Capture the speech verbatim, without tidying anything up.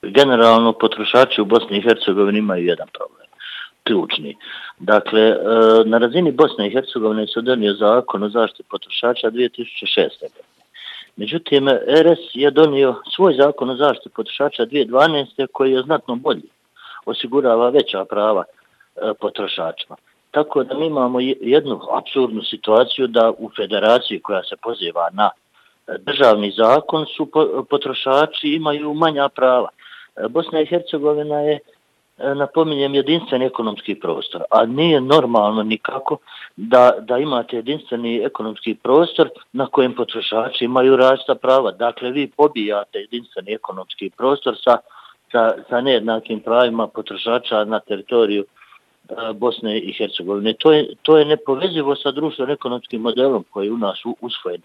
Generalno, potrošači u Bosni i Hercegovini imaju jedan problem, ključni. Dakle, na razini Bosne i Hercegovine se donio zakon o zaštiti potrošača dvije tisuće šeste. Međutim, R S je donio svoj zakon o zaštiti potrošača dvije tisuće dvanaeste. koji je znatno bolji, osigurava veća prava potrošačima. Tako da mi imamo jednu apsurdnu situaciju da u federaciji koja se poziva na državni zakon su potrošači imaju manja prava. Bosna i Hercegovina je, napominjem, jedinstveni ekonomski prostor, a nije normalno nikako da, da imate jedinstveni ekonomski prostor na kojem potrošači imaju različita prava. Dakle, vi pobijate jedinstveni ekonomski prostor sa, sa, sa nejednakim pravima potrošača na teritoriju Bosne i Hercegovine. To je, to je nepovezivo sa društveno-ekonomskim modelom koji je u nas usvojen.